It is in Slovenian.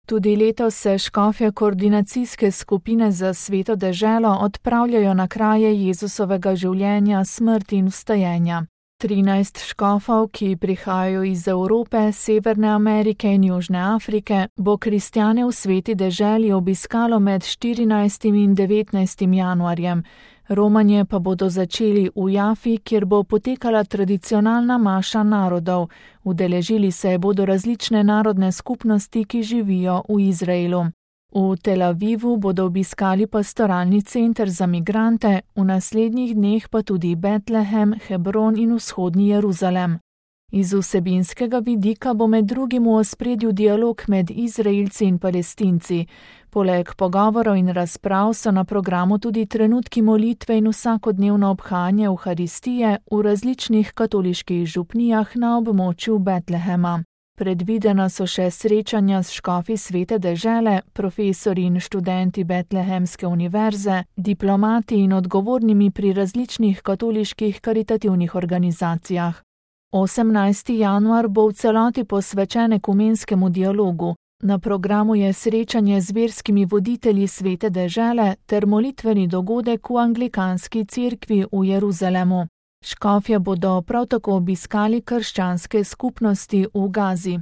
Tudi letos se škofje koordinacijske skupine za Sveto deželo odpravljajo na kraje Jezusovega življenja, smrti in vstajenja. 13 škofov, ki prihajajo iz Evrope, Severne Amerike in Južne Afrike, bo kristjane v Sveti deželi obiskalo med 14. in 19. januarjem. Romanje pa bodo začeli v Jafi, kjer bo potekala tradicionalna maša narodov. Udeležili se bodo različne narodne skupnosti, ki živijo v Izraelu. V Tel Avivu bodo obiskali pastoralni center za migrante, v naslednjih dneh pa tudi Betlehem, Hebron in vzhodni Jeruzalem. Iz vsebinskega vidika bo med drugim v ospredju dialog med Izraelci in Palestinci. Poleg pogovorov in razprav so na programu tudi trenutki molitve in vsakodnevno obhajanje Evharistije v različnih katoliških župnijah na območju Betlehema. Predvidena so še srečanja s škofi Svete dežele, profesori in študenti Betlehemske univerze, diplomati in odgovornimi pri različnih katoliških karitativnih organizacijah. 18. januar bo v celoti posvečen ekumenskemu dialogu. Na programu je srečanje z verskimi voditelji Svete dežele ter molitveni dogodek v anglikanski cerkvi v Jeruzalemu. Škofje bodo prav tako obiskali krščanske skupnosti v Gazi.